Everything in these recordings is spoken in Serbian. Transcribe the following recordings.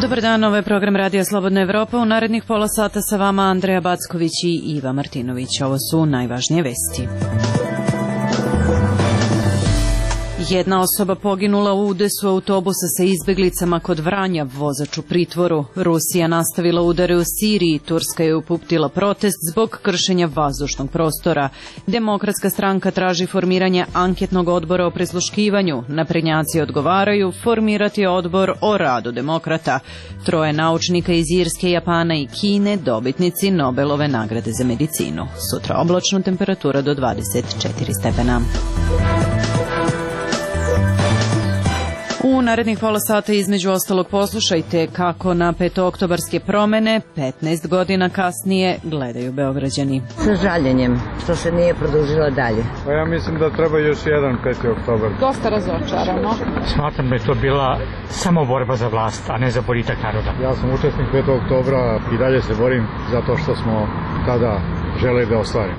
Dobar dan, ovo je program Radija Slobodna Evropa. U narednih pola sata sa vama Andreja Backović i Iva Martinović. Ovo su najvažnije vesti. Jedna osoba poginula u udesu autobusa sa izbeglicama kod Vranja, vozač u pritvoru. Rusija nastavila udare u Siriji, Turska je uputila protest zbog kršenja vazdušnog prostora. Demokratska stranka traži formiranje anketnog odbora o prisluškivanju. Naprednjaci odgovaraju formirati odbor o radu demokrata. 3 naučnika iz Irske, Japana i Kine dobitnici Nobelove nagrade za medicinu. Sutra oblačno, temperatura do 24 stepena. U narednih pola sata između ostalog poslušajte kako na petooktobarske promene 15 godina kasnije gledaju Beograđani. Sa žaljenjem što se nije produžila dalje. Pa ja mislim da treba još jedan 5. oktobar. Dosta razočarano. Smatram da je to bila samo borba za vlast, a ne za boljitak naroda. Ja sam učesnik 5. oktobra i dalje se borim zato što smo tada želeli da ostvarimo.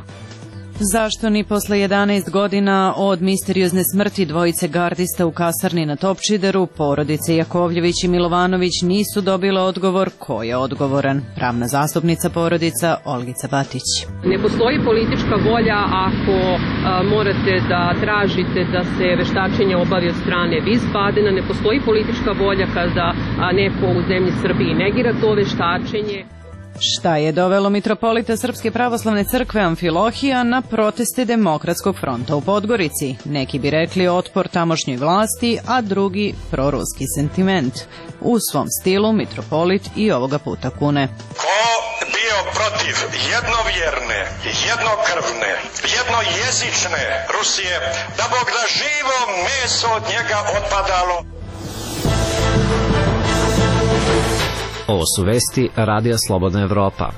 Zašto ni posle 11 godina od misteriozne smrti dvojice gardista u kasarni na Topčideru, porodice Jakovljević i Milovanović nisu dobile odgovor ko je odgovoran? Pravna zastupnica porodica Olgica Batić. Ne postoji politička volja ako morate da tražite da se veštačenje obavi od strane Wiesbadena. Ne postoji politička volja kada neko u zemlji Srbiji negira to veštačenje. Šta je dovelo mitropolita Srpske pravoslavne crkve Amfilohija na proteste Demokratskog fronta u Podgorici? Neki bi rekli otpor tamošnjoj vlasti, a drugi proruski sentiment. U svom stilu mitropolit i ovoga puta kune. Ko bio protiv jednovjerne, jednokrvne, jednojezične Rusije, da Bog da živo meso od njega otpadalo. Ovo su vesti Radija Slobodna Evropa.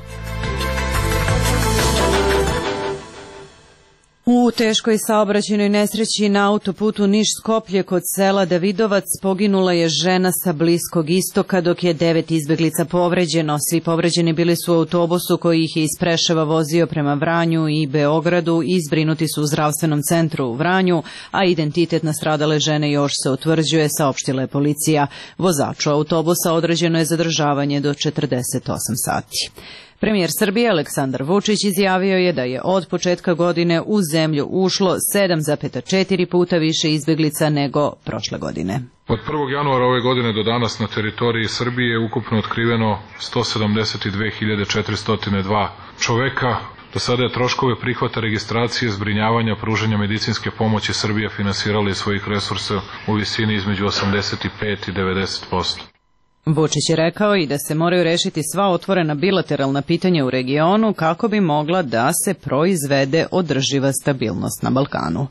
U teškoj saobraćajnoj nesreći na autoputu Niš-Skoplje kod sela Davidovac poginula je žena sa Bliskog istoka, dok je 9 izbeglica povređeno. Svi povređeni bili su u autobusu koji ih je iz Preševa vozio prema Vranju i Beogradu i zbrinuti su u zdravstvenom centru u Vranju, a identitet nastradale žene još se utvrđuje, saopštila je policija. Vozaču autobusa određeno je zadržavanje do 48 sati. Premijer Srbije Aleksandar Vučić izjavio je da je od početka godine u zemlju ušlo 7,4 puta više izbeglica nego prošle godine. Od 1. januara ove godine do danas na teritoriji Srbije je ukupno otkriveno 172.402 čoveka. Do sada je troškove prihvata registracije, zbrinjavanja, pružanja medicinske pomoći Srbija finansirala iz svojih resursa u visini između 85 i 90%. Vučić je rekao i da se moraju rešiti sva otvorena bilateralna pitanja u regionu kako bi mogla da se proizvede održiva stabilnost na Balkanu.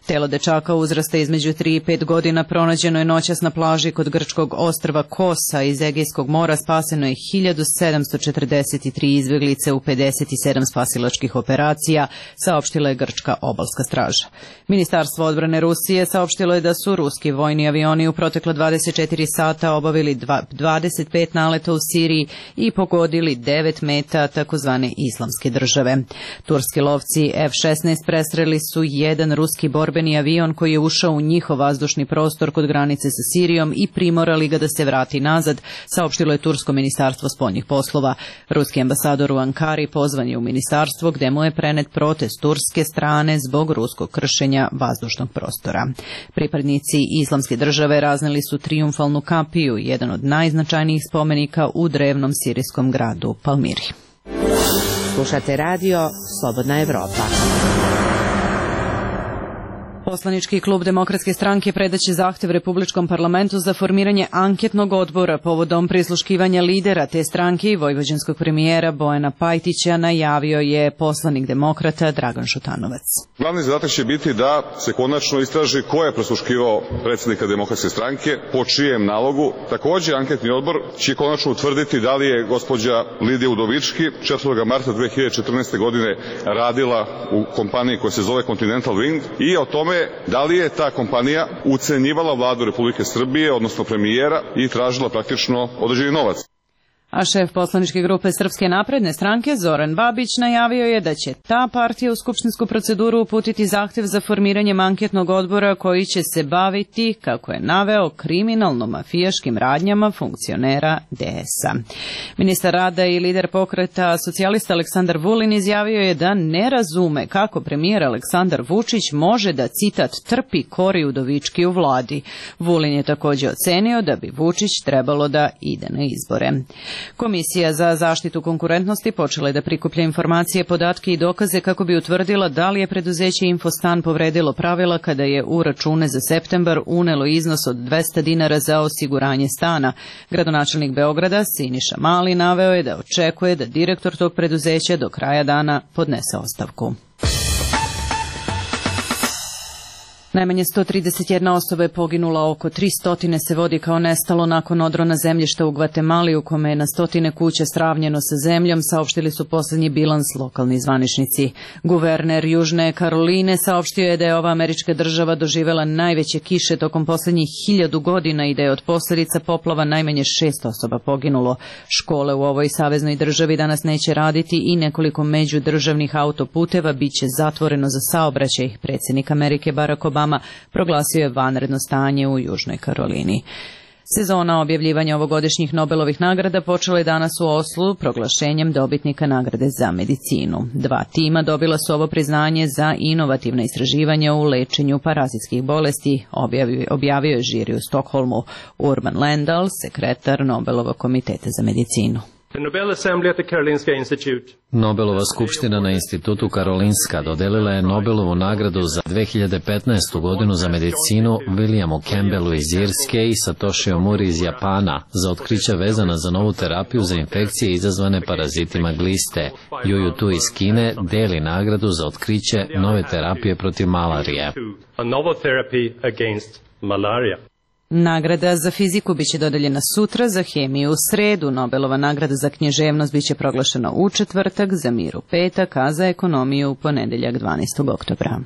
Telo dečaka uzrasta između 3 i 5 godina pronađeno je noćas na plaži kod grčkog ostrva Kosa iz Egejskog mora. Spaseno je 1743 izbeglice u 57 spasilačkih operacija, saopštila je grčka obalska straža. Ministarstvo odbrane Rusije saopštilo je da su ruski vojni avioni u proteklo 24 sata obavili 25 naleta u Siriji i pogodili 9 meta takozvane islamske države. Turski lovci F-16 presreli su jedan ruski borbeni avion koji je ušao u njihov vazdušni prostor kod granice sa Sirijom i primorali ga da se vrati nazad, saopštilo je Tursko ministarstvo spoljnih poslova. Ruski ambasador u Ankari pozvan je u ministarstvo gde mu je prenet protest turske strane zbog ruskog kršenja vazdušnog prostora. Pripadnici islamske države razneli su trijumfalnu kapiju, jedan od najznačajnijih spomenika u drevnom sirijskom gradu Palmiri. Slušate radio Slobodna Evropa. Poslanički klub Demokratske stranke predaće zahtev Republičkom parlamentu za formiranje anketnog odbora povodom prisluškivanja lidera te stranke i vojvođanskog premijera Bojana Pajtića, najavio je poslanik demokrata Dragan Šutanovac. Glavni zadatak će biti da se konačno istraži ko je prisluškivao predsjednika Demokratske stranke, po čijem nalogu. Takođe, anketni odbor će konačno utvrditi da li je gospođa Lidija Udovički 4. marta 2014. godine radila u kompaniji koja se zove Continental Wind i o tome da li je ta kompanija ucenjivala vladu Republike Srbije, odnosno premijera, i tražila praktično određeni novac. A šef poslaničke grupe Srpske napredne stranke Zoran Babić najavio je da će ta partija u skupštinsku proceduru uputiti zahtev za formiranjem anketnog odbora koji će se baviti, kako je naveo, kriminalno-mafijaškim radnjama funkcionera DS-a. Ministar rada i lider pokreta socijalista Aleksandar Vulin izjavio je da ne razume kako premijer Aleksandar Vučić može da, citat, trpi Kori Udovički u vladi. Vulin je također ocenio da bi Vučić trebalo da ide na izbore. Komisija za zaštitu konkurentnosti počela je da prikuplja informacije, podatke i dokaze kako bi utvrdila da li je preduzeće Infostan povredilo pravila kada je u račune za septembar unelo iznos od 200 dinara za osiguranje stana. Gradonačelnik Beograda Siniša Mali naveo je da očekuje da direktor tog preduzeća do kraja dana podnese ostavku. Najmanje 131 osoba je poginula, oko 300 se vodi kao nestalo nakon odrona zemljišta u Gvatemali u kome je na stotine kuća sravnjeno sa zemljom, saopštili su poslednji bilans lokalni zvaničnici. Guverner Južne Karoline saopštio je da je ova američka država doživela najveće kiše tokom poslednjih 1000 godina i da je od posljedica poplava najmanje 6 osoba poginulo. Škole u ovoj saveznoj državi danas neće raditi i nekoliko međudržavnih autoputeva biće zatvoreno za saobraćaj. Predsjednik Amerike Barack Obama proglasio je vanredno stanje u Južnoj Karolini. Sezona objavljivanja ovogodišnjih Nobelovih nagrada počela je danas u Oslu proglašenjem dobitnika nagrade za medicinu. 2 tima dobila su ovo priznanje za inovativna istraživanja u lečenju parazitskih bolesti, objavio je žiri u Stokholmu. Urban Lendal, sekretar Nobelovog komiteta za medicinu. Nobelova skupština na institutu Karolinska dodelila je Nobelovu nagradu za 2015. godinu za medicinu Williamu Campbellu iz Irske i Satoshi Omuri iz Japana za otkrića vezana za novu terapiju za infekcije izazvane parazitima gliste. Juju Tu iz Kine deli nagradu za otkriće nove terapije protiv malarije. Nagrada za fiziku biće dodeljena sutra, za hemiju u sredu, Nobelova nagrada za književnost biće proglašena u četvrtak, za mir u petak, a za ekonomiju u ponedeljak 12. oktobra.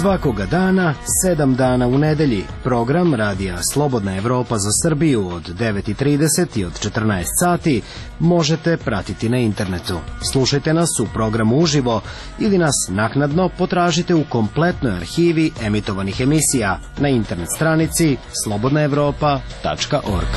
Svakoga dana, 7 dana u nedelji, program Radija Slobodna Evropa za Srbiju od 9:30 i od 14 sati možete pratiti na internetu. Slušajte nas u programu uživo ili nas naknadno potražite u kompletnoj arhivi emitovanih emisija na internet stranici slobodnaevropa.org.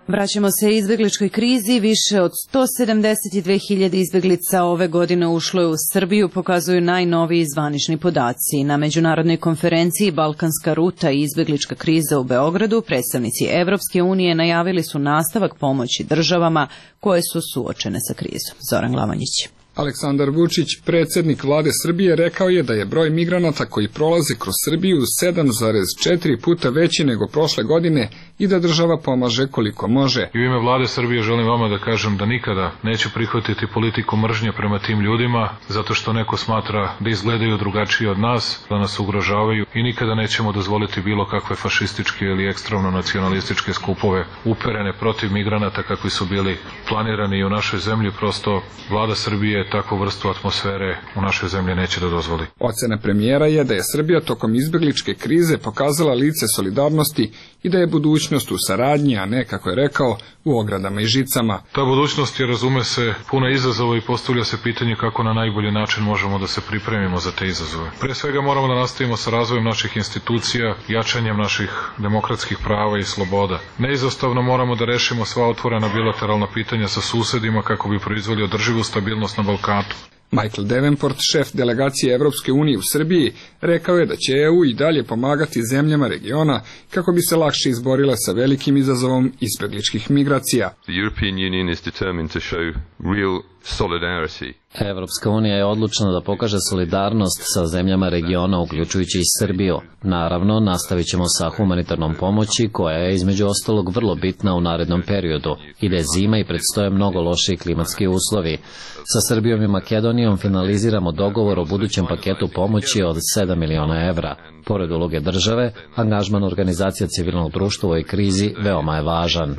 Vraćamo se izbegličkoj krizi. Više od 172.000 izbeglica ove godine ušlo je u Srbiju, pokazuju najnoviji zvanični podaci. Na međunarodnoj konferenciji Balkanska ruta i izbeglička kriza u Beogradu predstavnici Evropske unije najavili su nastavak pomoći državama koje su suočene sa krizom. Zoran Glavanjić. Aleksandar Vučić, predsjednik vlade Srbije, rekao je da je broj migranata koji prolaze kroz Srbiju 7,4 puta veći nego prošle godine i da država pomaže koliko može. I u ime vlade Srbije želim vama da kažem da nikada neću prihvatiti politiku mržnje prema tim ljudima, zato što neko smatra da izgledaju drugačije od nas, da nas ugrožavaju, i nikada nećemo dozvoliti bilo kakve fašističke ili ekstremno nacionalističke skupove uperene protiv migranata kakvi su bili planirani i u našoj zemlji. Prosto vlada Srbije takvu vrstu atmosfere u našoj zemlji neće da dozvoli. Ocena premijera je da je Srbija tokom izbegličke krize pokazala lice solidarnosti i da je budućnost u saradnji, a ne, kako je rekao, u ogradama i žicama. Ta budućnost je, razume se, puna izazova i postavlja se pitanje kako na najbolji način možemo da se pripremimo za te izazove. Pre svega moramo da nastavimo sa razvojem naših institucija, jačanjem naših demokratskih prava i sloboda. Neizostavno moramo da rešimo sva otvorena bilateralna pitanja sa susedima kako bi proizveli održivu stabilnost na Balkanu. Michael Davenport, šef delegacije Evropske unije u Srbiji, rekao je da će EU i dalje pomagati zemljama regiona kako bi se lakše izborile sa velikim izazovom izbegličkih migracija. The European Union is determined to show real solidarity. Evropska unija je odlučna da pokaže solidarnost sa zemljama regiona, uključujući i Srbiju. Naravno, nastavit ćemo sa humanitarnom pomoći, koja je između ostalog vrlo bitna u narednom periodu. Ide zima i predstoje mnogo loši klimatski uslovi. Sa Srbijom i Makedonijom finaliziramo dogovor o budućem paketu pomoći od 7 miliona evra. Pored uloge države, angažman organizacija civilnog društva u ovoj krizi veoma je važan.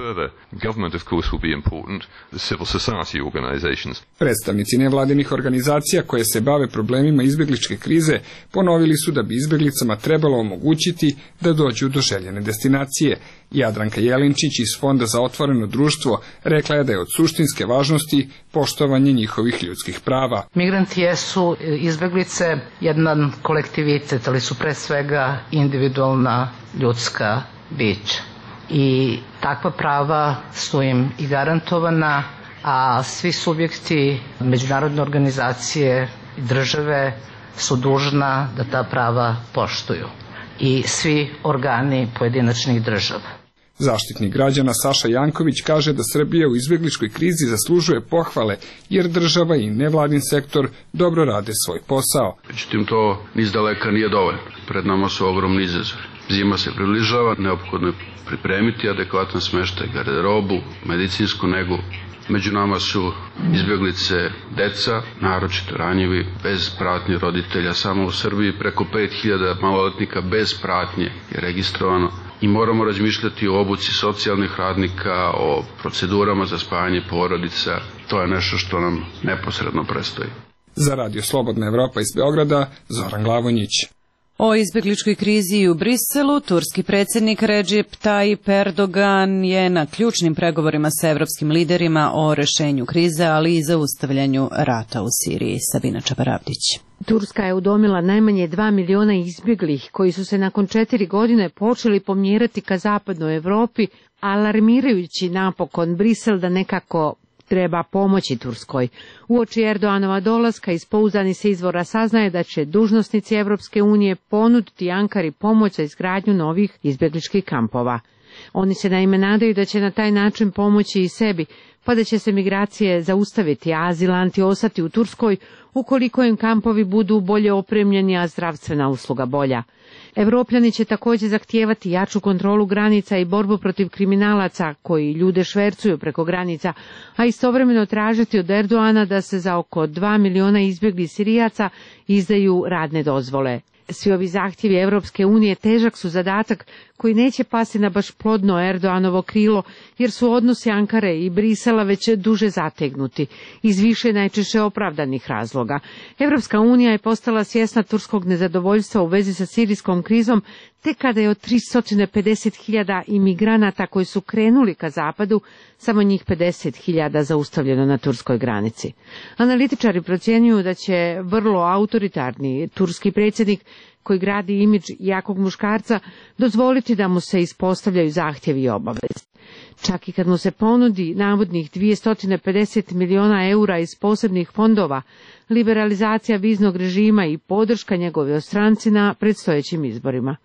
Predstavnici nevladinih organizacija koje se bave problemima izbegličke krize ponovili su da bi izbeglicama trebalo omogućiti da dođu do željene destinacije. Jadranka Jelinčić iz Fonda za otvoreno društvo rekla je da je od suštinske važnosti poštovanje njihovih ljudskih prava. Migranti jesu izbeglice jedan kolektivitet, ali su pre svega individualna ljudska bića. I takva prava su im i garantovana, a svi subjekti međunarodne organizacije i države su dužna da ta prava poštuju. I svi organi pojedinačnih država. Zaštitnik građana Saša Janković kaže da Srbija u izbegličkoj krizi zaslužuje pohvale, jer država i nevladin sektor dobro rade svoj posao. Međutim, to niz daleka nije dovoljno. Pred nama su ogromni izazovi. Zima se približava, neophodno je pripremiti adekvatan smeštaj, garderobu, medicinsku negu. Među nama su izbeglice deca, naročito ranjivi, bez pratnje roditelja. Samo u Srbiji preko 5000 maloletnika bez pratnje je registrovano. I moramo razmišljati o obuci socijalnih radnika, o procedurama za spajanje porodica. To je nešto što nam neposredno predstoji. Za Radio Slobodna Evropa iz Beograda, Zoran Glavonjić. O izbegličkoj krizi u Briselu, turski predsjednik Recep Tayyip Erdogan je na ključnim pregovorima sa evropskim liderima o rešenju krize, ali i zaustavljanju rata u Siriji. Sabina Čabaravdić. Turska je udomila najmanje 2 miliona izbjeglih koji su se nakon 4 godine počeli pomjerati ka zapadnoj Evropi, alarmirajući napokon Brisel da nekako treba pomoći Turskoj. Uoči Erdoganova dolaska iz pouzdanih se izvora saznaje da će dužnosnici Evropske unije ponuditi Ankari pomoć za izgradnju novih izbjegličkih kampova. Oni se naime nadaju da će na taj način pomoći i sebi, pa da će se migracije zaustaviti, a azilanti ostati u Turskoj ukoliko im kampovi budu bolje opremljeni, a zdravstvena usluga bolja. Evropljani će također zahtijevati jaču kontrolu granica i borbu protiv kriminalaca koji ljude švercuju preko granica, a istovremeno tražiti od Erdogana da se za oko 2 miliona izbjeglih Sirijaca izdaju radne dozvole. Svi ovi zahtjevi Evropske unije težak su zadatak koji neće pasti na baš plodno Erdoganovo krilo, jer su odnosi Ankare i Brisela već duže zategnuti, iz više najčešće opravdanih razloga. Evropska unija je postala svjesna turskog nezadovoljstva u vezi sa sirijskom krizom, te kada je od 350.000 imigranata koji su krenuli ka zapadu, samo njih 50.000 zaustavljeno na turskoj granici. Analitičari procjenjuju da će vrlo autoritarni turski predsjednik, koji gradi imidž jakog muškarca, dozvoliti da mu se ispostavljaju zahtjevi i obaveze. Čak i kad mu se ponudi navodnih 250 miliona eura iz posebnih fondova, liberalizacija viznog režima i podrška njegove stranci na predstojećim izborima.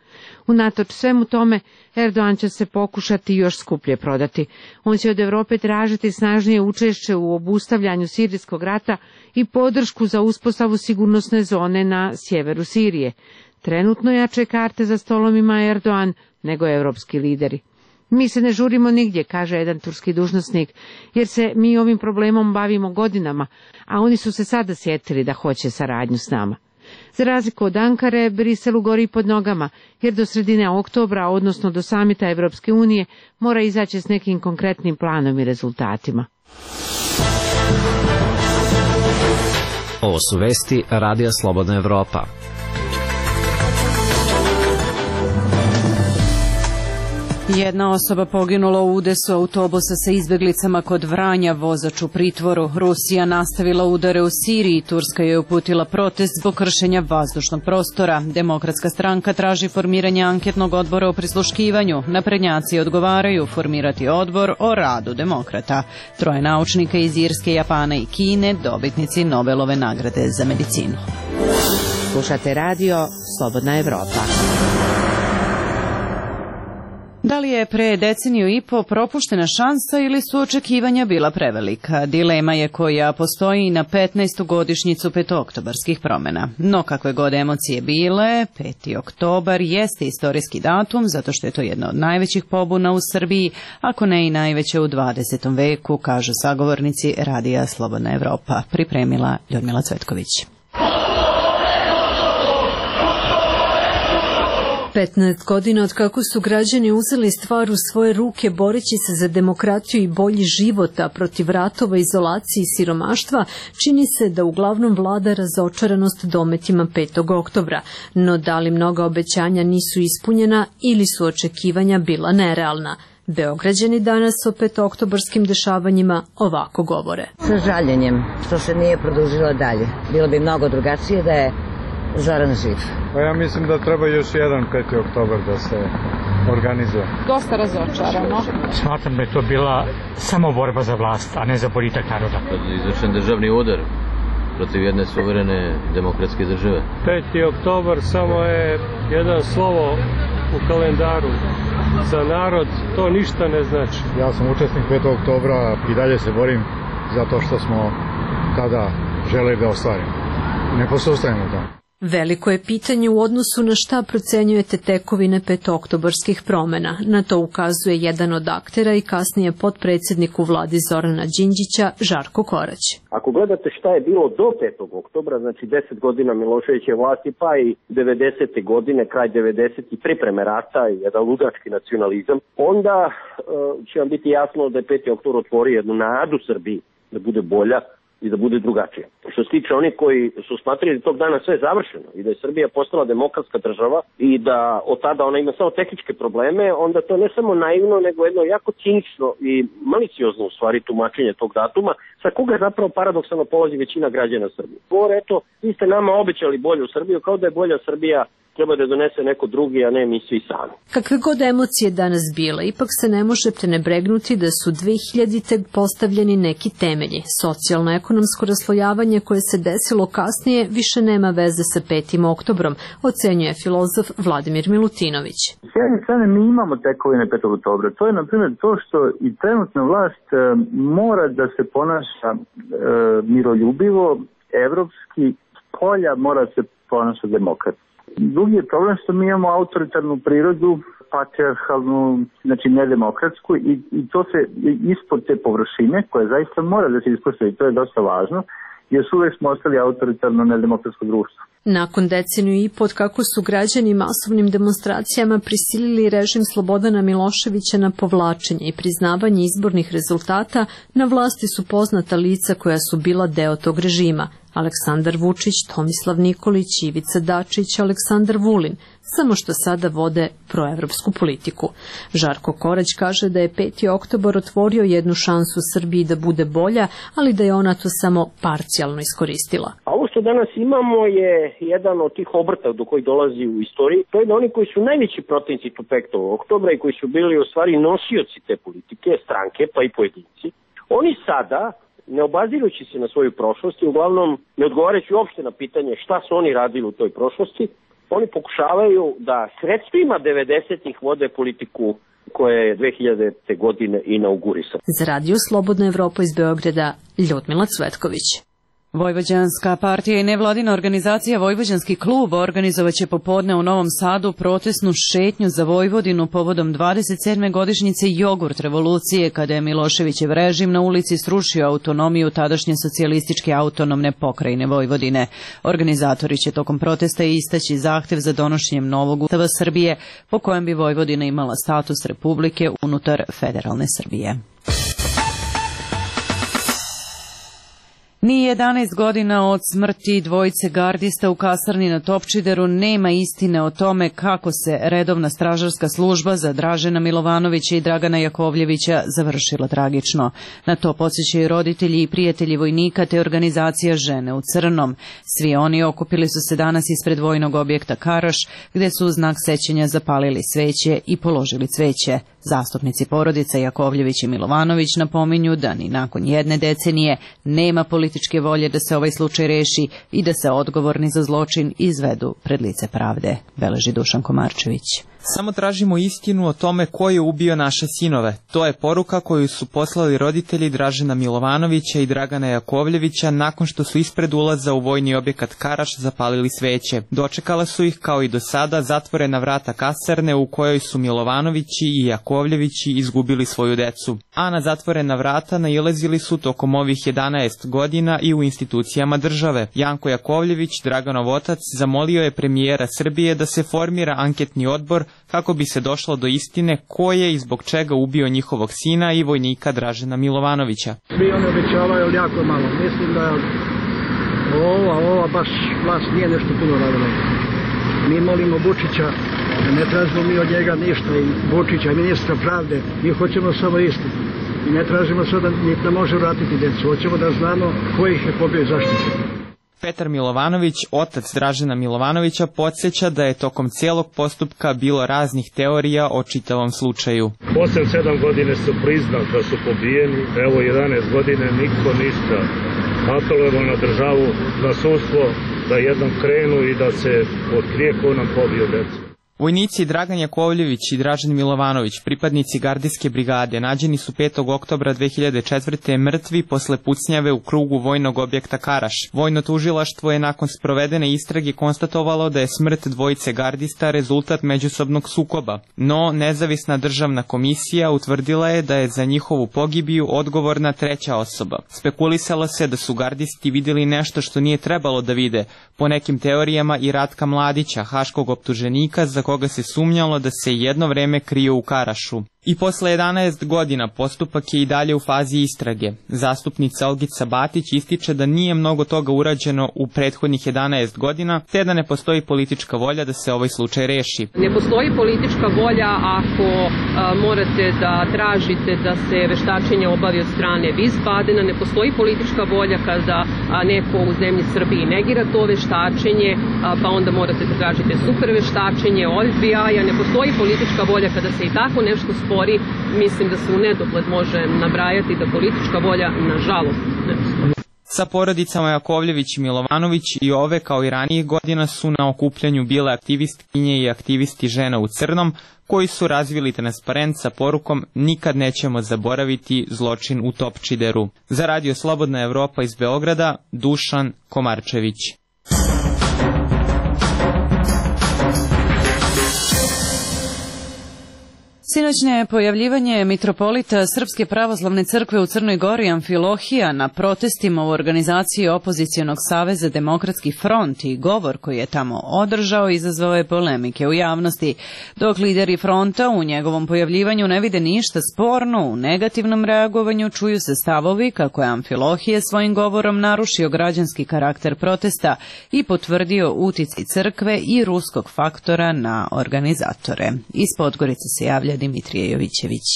Unatoč svemu tome, Erdogan će se pokušati još skuplje prodati. On će od Europe tražiti snažnije učešće u obustavljanju sirijskog rata i podršku za uspostavu sigurnosne zone na sjeveru Sirije. Trenutno jače karte za stolom ima Erdogan nego evropski lideri. Mi se ne žurimo nigdje, kaže jedan turski dužnosnik, jer se mi ovim problemom bavimo godinama, a oni su se sada sjetili da hoće saradnju s nama. Za razliku od Ankare, Briselu gori pod nogama, jer do sredine oktobra, odnosno do samita Evropske unije, mora izaći s nekim konkretnim planom i rezultatima. Ovo su vesti Radija Slobodna Evropa. Jedna osoba poginula u udesu autobusa sa izbjeglicama kod Vranja, vozač u pritvoru. Rusija nastavila udare u Siriji, Turska je uputila protest zbog kršenja vazdušnog prostora. Demokratska stranka traži formiranje anketnog odbora o prisluškivanju. Naprednjaci odgovaraju formirati odbor o radu demokrata. 3 naučnika iz Irske, Japana i Kine, dobitnici Nobelove nagrade za medicinu. Slušate radio Slobodna Evropa. Da li je pre deceniju i po propuštena šansa ili su očekivanja bila prevelika? Dilema je koja postoji na 15. godišnjicu petooktobarskih promjena. No kakve god emocije bile, 5. oktobar jeste istorijski datum zato što je to jedna od najvećih pobuna u Srbiji, ako ne i najveća u 20. veku, kažu sagovornici Radija Slobodna Evropa. Pripremila Ljudmila Cvetković. 15 godina od kako su građani uzeli stvar u svoje ruke boreći se za demokratiju i bolji život, a protiv ratova, izolacije i siromaštva, čini se da uglavnom vlada razočaranost dometima 5. oktobra. No da li mnoga obećanja nisu ispunjena ili su očekivanja bila nerealna? Beograđani danas o 5-oktobarskim dešavanjima ovako govore. Sa žaljenjem što se nije produžilo dalje. Bilo bi mnogo drugačije da je Zoran živ. Pa ja mislim da treba još jedan 5. oktobar da se organizuje. Dosta razočarano. Smatram da je to bila samo borba za vlast, a ne za boljitak naroda. Izvršen državni udar protiv jedne suverene demokratske države. 5. oktobar samo je jedan slovo u kalendaru. Za narod to ništa ne znači. Ja sam učesnik 5. oktobra i dalje se borim zato što smo tada želeli da ostvarimo. Ne posustajemo tamo. Veliko je pitanje u odnosu na šta procenjujete tekovine 5-oktobarskih promena. Na to ukazuje jedan od aktera i kasnije potpredsjednik u vladi Zorana Đinđića, Žarko Korać. Ako gledate šta je bilo do 5. oktobra, znači 10 godina Miloševićeve vlasti, pa i 90. godine, kraj 90. i pripreme rata i jedan ludački nacionalizam, onda će vam biti jasno da je 5. oktobar otvorio jednu nadu Srbiji da bude bolja i da bude drugačije. Što se tiče onih koji su smatrali da tog dana sve je završeno i da je Srbija postala demokratska država i da od tada ona ima samo tehničke probleme, onda to ne samo naivno, nego jedno jako cinično i maliciozno u stvari tumačenje tog datuma, sa koga je zapravo paradoksalno polazi većina građana Srbije. Govore, eto, vi ste nama obećali bolju Srbiju, kao da je bolja Srbija treba da donese neko drugi, a ne mi svi sami. Kakve god emocije danas bile, ipak se ne može prenebregnuti da su 2000. postavljeni neki temelji. Socijalno-ekonomsko raslojavanje koje se desilo kasnije više nema veze sa 5. oktobrom, ocenjuje filozof Vladimir Milutinović. S jedne strane mi imamo tekovine 5. oktobra. To je, na primjer, to što i trenutna vlast mora da se ponaša miroljubivo, evropski, polja mora se ponaša demokratski. Drugi je problem što mi imamo autoritarnu prirodu, patriarhalnu, znači nedemokratsku i to se ispod te površine koja zaista mora da se ispostavi, to je dosta važno, jer uvek smo ostali autoritarno nedemokratsko društvo. Nakon deceniju i pod kako su građani masovnim demonstracijama prisilili režim Slobodana Miloševića na povlačenje i priznavanje izbornih rezultata, na vlasti su poznata lica koja su bila deo tog režima. Aleksandar Vučić, Tomislav Nikolić, Ivica Dačić, Aleksandar Vulin, samo što sada vode proevropsku politiku. Žarko Korać kaže da je 5. oktobar otvorio jednu šansu Srbiji da bude bolja, ali da je ona to samo parcijalno iskoristila. A ovo što danas imamo je jedan od tih obrta do koji dolazi u istoriji. To je da oni koji su najveći protivnici 5. oktobra i koji su bili u stvari nosioci te politike, stranke pa i pojedinci, oni sada, ne obazirujući se na svoju prošlost i uglavnom ne odgovarajući uopšte na pitanje šta su oni radili u toj prošlosti, oni pokušavaju da sredstvima 90-ih vode politiku koja je 2000. godine inaugurisana. Za Radio Slobodna Evropa iz Beograda, Ljudmila Cvetković. Vojvođanska partija i nevladina organizacija Vojvođanski klub organizovaće popodne u Novom Sadu protesnu šetnju za Vojvodinu povodom 27. godišnjice jogurt revolucije, kada je Miloševićev režim na ulici srušio autonomiju tadašnje socijalističke autonomne pokrajine Vojvodine. Organizatori će tokom protesta istaći zahtev za donošenjem novog ustava Srbije, po kojem bi Vojvodina imala status republike unutar federalne Srbije. Ni 11 godina od smrti dvojice gardista u kasarni na Topčideru nema istine o tome kako se redovna stražarska služba za Dražena Milovanovića i Dragana Jakovljevića završila tragično. Na to podsjećaju roditelji i prijatelji vojnika te organizacija Žene u crnom. Svi oni okupili su se danas ispred vojnog objekta Karaš, gde su u znak sećanja zapalili sveće i položili cveće. Zastupnici porodica Jakovljević i Milovanović napominju da ni nakon jedne decenije nema političke volje da se ovaj slučaj reši i da se odgovorni za zločin izvedu pred lice pravde, beleži Dušan Komarčević. Samo tražimo istinu o tome ko je ubio naše sinove. To je poruka koju su poslali roditelji Dražena Milovanovića i Dragana Jakovljevića nakon što su ispred ulaza u vojni objekat Karaš zapalili sveće. Dočekala su ih, kao i do sada, zatvorena vrata kasarne u kojoj su Milovanovići i Jakovljevići izgubili svoju decu. A na zatvorena vrata nailazili su tokom ovih 11 godina i u institucijama države. Janko Jakovljević, Draganov otac, zamolio je premijera Srbije da se formira anketni odbor kako bi se došlo do istine ko je i zbog čega ubio njihovog sina i vojnika Dražena Milovanovića. Svi oni obećavaju jako malo. Mislim da ova baš vlast nije nešto puno radila. Mi molimo Vučića, ne tražimo mi od njega ništa, i Vučića, i ministra pravde, mi hoćemo samo istinu. I ne tražimo sada da može vratiti djecu, hoćemo da znamo ko ih je pobio i zašto. Petar Milovanović, otac Dražena Milovanovića, podsjeća da je tokom cijelog postupka bilo raznih teorija o čitavom slučaju. 8-7 godine su priznali da su pobijeni, evo 11 godine niko ništa. Apelujemo na državu, na sudstvo, da jednom krenu i da se otkrije ko nam pobio decu. Vojnici Dragan Jakovljević i Dražen Milovanović, pripadnici gardijske brigade, nađeni su 5. oktobra 2004. mrtvi posle pucnjave u krugu vojnog objekta Karaš. Vojno tužilaštvo je nakon sprovedene istrage konstatovalo da je smrt dvojice gardista rezultat međusobnog sukoba, no nezavisna državna komisija utvrdila je da je za njihovu pogibiju odgovorna treća osoba. Spekulisalo se da su gardisti vidjeli nešto što nije trebalo da vide, po nekim teorijama i Ratka Mladića, haškog optuženika za koga se sumnjalo da se jedno vreme krio u Karašu. I posle 11 godina postupak je i dalje u fazi istrage. Zastupnica Olgica Batić ističe da nije mnogo toga urađeno u prethodnih 11 godina, te da ne postoji politička volja da se ovaj slučaj reši. Ne postoji politička volja ako morate da tražite da se veštačenje obavi od strane Wiesbadena, ne postoji politička volja kada neko u zemlji Srbiji negira to veštačenje, pa onda morate da tražite super veštačenje od FBI-a, ne postoji politička volja kada se i tako nešto spori. Mislim da se u nedogled može nabrajati da politička volja, nažalost, ne postoji. Sa porodicama Jakovljević i Milovanović i ove, kao i ranijih godina, su na okupljanju bile aktivistkinje i aktivisti Žena u crnom, koji su razvili transparent sa porukom "Nikad nećemo zaboraviti zločin u Topčideru". Za Radio Slobodna Evropa iz Beograda, Dušan Komarčević. Sinoćnje pojavljivanje mitropolita Srpske pravoslavne crkve u Crnoj Gori Amfilohija na protestima u organizaciji opozicionog saveza Demokratski front i govor koji je tamo održao izazvao je polemike u javnosti, dok lideri fronta u njegovom pojavljivanju ne vide ništa sporno. U negativnom reagovanju čuju se stavovi kako je Amfilohije svojim govorom narušio građanski karakter protesta i potvrdio uticaj crkve i ruskog faktora na organizatore. Iz Podgorice se javlja Dimitrije Jovićević.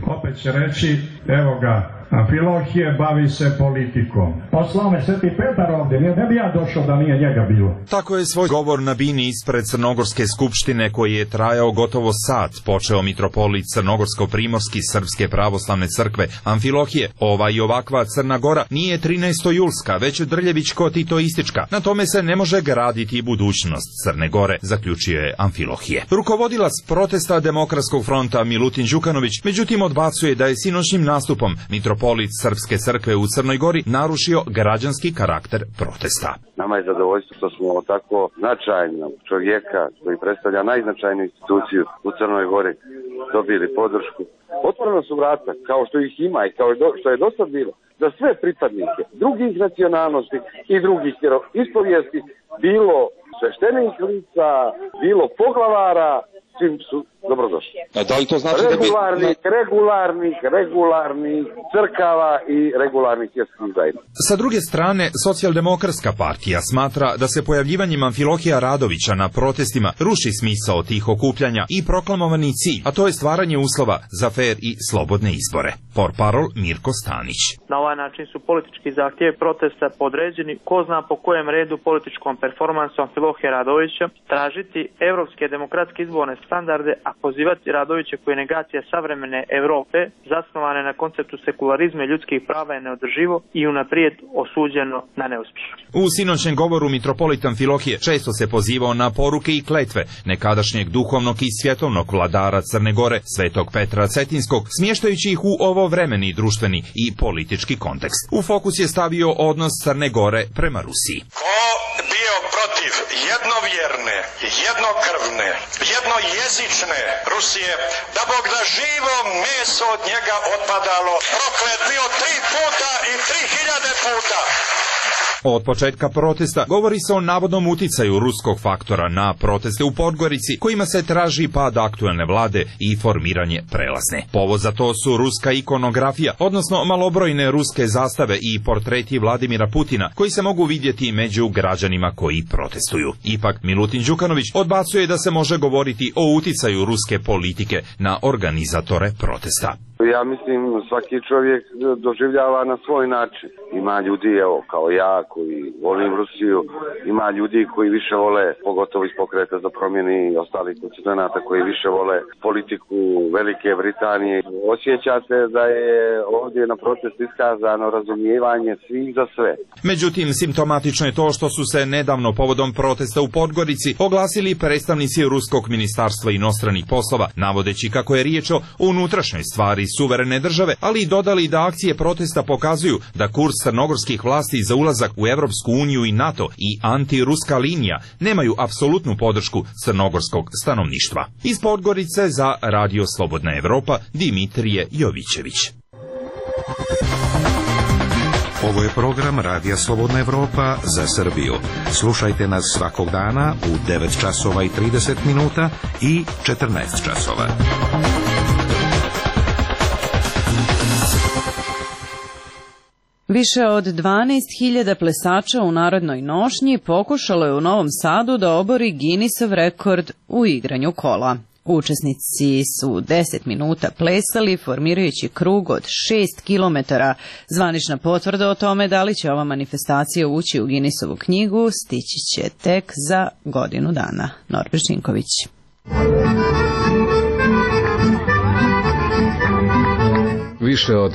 Opet će reći, evo ga, Amfilohije bavi se politikom. Poslao me Sveti Petar ovdje, ne bi ja došao da nije njega bilo. Tako je svoj govor na bini ispred Crnogorske skupštine, koji je trajao gotovo sat, počeo mitropolit Crnogorsko-primorski Srpske pravoslavne crkve Amfilohije. Ova i ovakva Crna Gora nije 13. julska, već drljevičko-titoistička. Na tome se ne može graditi budućnost Crne Gore, zaključio je Amfilohije. Rukovodilac protesta Demokratskog fronta Milutin Đukanović, međutim, odbacuje da je sinoćnim nastupom mitropolit Srpske crkve u Crnoj Gori narušio građanski karakter protesta. Nama je zadovoljstvo što smo tako značajnog čovjeka koji predstavlja najznačajniju instituciju u Crnoj Gori dobili podršku. Otvoreno su vrata, kao što ih ima i kao što je do sad bilo, za sve pripadnike drugih nacionalnosti i drugih ispovijesti, bilo sveštenih lica, bilo poglavara, svim su dobrodošli. Da li to znači regularnih crkava i regularnih vjerskih zajednica. Sa druge strane, Socijaldemokratska partija smatra da se pojavljivanjem Amfilohija Radovića na protestima ruši smisao tih okupljanja i proklamovani cilj, a to je stvaranje uslova za fer i slobodne izbore. Portparol Mirko Stanić. Na ovaj način su politički zahtjevi protesta podređeni ko zna po kojem redu političkom performansu Amfilohija Radovića tražiti evropske demokratske izborne standarde, a pozivati Radovića koji je negacija savremene Evrope, zasnovane na konceptu sekularizma i ljudskih prava je neodrživo i unaprijed osuđeno na neuspjeh. U sinoćnem govoru mitropolit Amfilohije često se pozivao na poruke i kletve nekadašnjeg duhovnog i svjetovnog vladara Crne Gore, Svetog Petra Cetinskog, smještajući ih u ovovremeni društveni i politički kontekst. U fokus je stavio odnos Crne Gore prema Rusiji. Ko bio protiv jednovjerne, jednokrvne, jednojezične Rusije, da Bog da živo meso od njega otpadalo, proklet bio 3 puta i 3000 puta. Od početka protesta govori se o navodnom uticaju ruskog faktora na proteste u Podgorici, kojima se traži pad aktuelne vlade i formiranje prelazne. Povod za to su ruska ikonografija, odnosno malobrojne ruske zastave i portreti Vladimira Putina, koji se mogu vidjeti među građanima koji protestuju. Ipak, Milutin Đukanović odbacuje da se može govoriti o uticaju ruske politike na organizatore protesta. Ja mislim, svaki čovjek doživljava na svoj način. Ima ljudi, evo, kao ja, koji volim Rusiju, ima ljudi koji više vole, pogotovo iz Pokreta za promjene i ostalih konstituenata, koji više vole politiku Velike Britanije. Osjeća se da je ovdje na protestu iskazano razumijevanje svih za sve. Međutim, simptomatično je to što su se nedavno povodom protesta u Podgorici oglasili predstavnici Ruskog ministarstva inostranih poslova, navodeći kako je riječ o unutrašnjoj stvari suverene države, ali i dodali da akcije protesta pokazuju da kurs crnogorskih vlasti za ulazak u Evropsku uniju i NATO i antiruska linija nemaju apsolutnu podršku crnogorskog stanovništva. Iz Podgorice za Radio Slobodna Evropa, Dimitrije Jovićević. Ovo je program Radija Slobodna Evropa za Srbiju. Slušajte nas svakog dana u 9 časova i 30 minuta i 14 časova. Više od 12.000 plesača u narodnoj nošnji pokušalo je u Novom Sadu da obori Guinnessov rekord u igranju kola. Učesnici su 10 minuta plesali, formirajući krug od 6 km. Zvanična potvrda o tome da li će ova manifestacija ući u Guinnessovu knjigu stići će tek za godinu dana. Norbert Žinković. Više od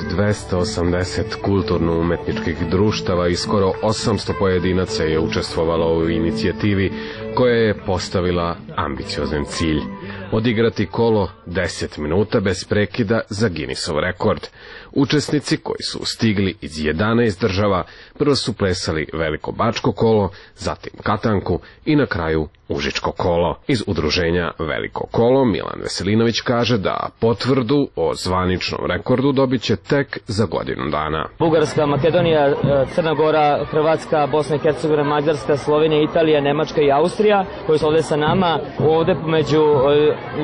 280 kulturno-umetničkih društava i skoro 800 pojedinaca je učestvovalo u inicijativi koja je postavila ambiciozan cilj. Odigrati kolo 10 minuta bez prekida za Guinnessov rekord. Učesnici koji su stigli iz 11 država prvo su plesali veliko bačko kolo, zatim katanku i na kraju užičko kolo. Iz udruženja Veliko kolo Milan Veselinović kaže da potvrdu o zvaničnom rekordu dobit će tek za godinu dana. Bugarska, Makedonija, Crna Gora, Hrvatska, Bosna i Hercegovina, Mađarska, Slovenija, Italija, Nemačka i Austrija koji su ovdje sa nama. Ovdje među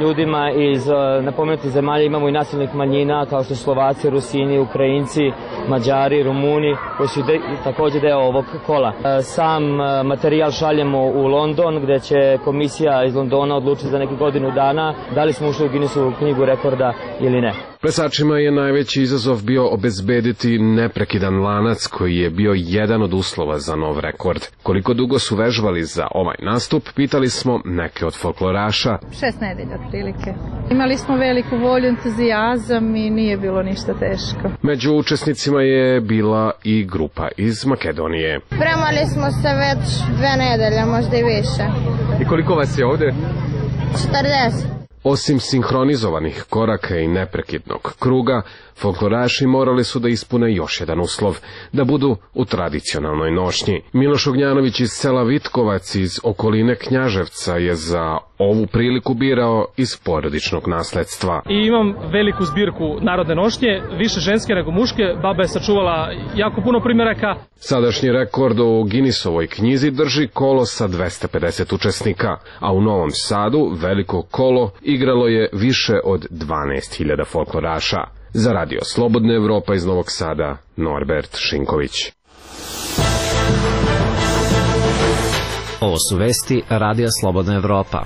ljudima iz napomenutih zemalja imamo i nacionalnih manjina kao što su Slovaci, Rusini, Ukrajinci, Mađari, Rumuni koji su također deo ovog kola. Sam materijal šaljemo u London gdje će komisija iz Londona odlučiti za neki godinu dana da li smo ušli u Guinnessovu knjigu rekorda ili ne. Plesačima je najveći izazov bio obezbediti neprekidan lanac koji je bio jedan od uslova za nov rekord. Koliko dugo su vežbali za ovaj nastup, pitali smo neke od folkloraša. 6 nedelja otprilike. Imali smo veliku volju, entuzijazam i nije bilo ništa teško. Među učesnicima je bila i grupa iz Makedonije. Spremali smo se već 2 nedelje, možda i više. I koliko vas je ovdje? 40. Osim sinhronizovanih koraka i neprekidnog kruga, folkloraši morali su da ispune još jedan uslov, da budu u tradicionalnoj nošnji. Miloš Ognjanović iz sela Vitkovac iz okoline Knjaževca je za ovu priliku birao iz porodičnog nasledstva. I imam veliku zbirku narodne nošnje, više ženske nego muške, baba je sačuvala jako puno primjeraka. Sadašnji rekord u Guinnessovoj knjizi drži kolo sa 250 učesnika, a u Novom Sadu veliko kolo igralo je više od 12.000 folkloraša. Za Radio Slobodna Evropa iz Novog Sada, Norbert Šinković. Ovo su vesti Radija Slobodna Evropa.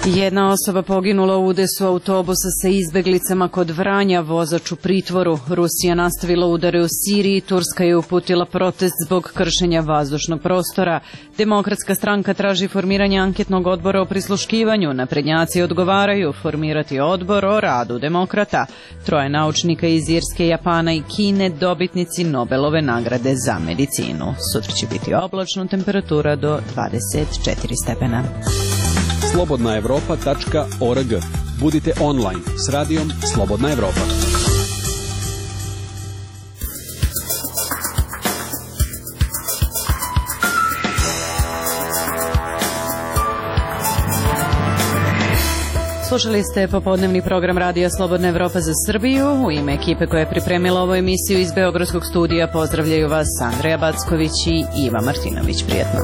Jedna osoba poginula u udesu autobusa sa izbeglicama kod Vranja, vozač u pritvoru. Rusija nastavila udare u Siriji, Turska je uputila protest zbog kršenja vazdušnog prostora. Demokratska stranka traži formiranje anketnog odbora o prisluškivanju. Naprednjaci odgovaraju formirati odbor o radu demokrata. 3 naučnika iz Irske, Japana i Kine dobitnici Nobelove nagrade za medicinu. Sutra će biti oblačno, temperatura do 24 stepena. slobodnaevropa.org. Budite online s radijom Slobodna Evropa. Slušali ste popodnevni program Radija Slobodna Evropa za Srbiju. U ime ekipe koja je pripremila ovu emisiju iz Beogradskog studija pozdravljaju vas Andreja Backović i Iva Martinović. Prijetno.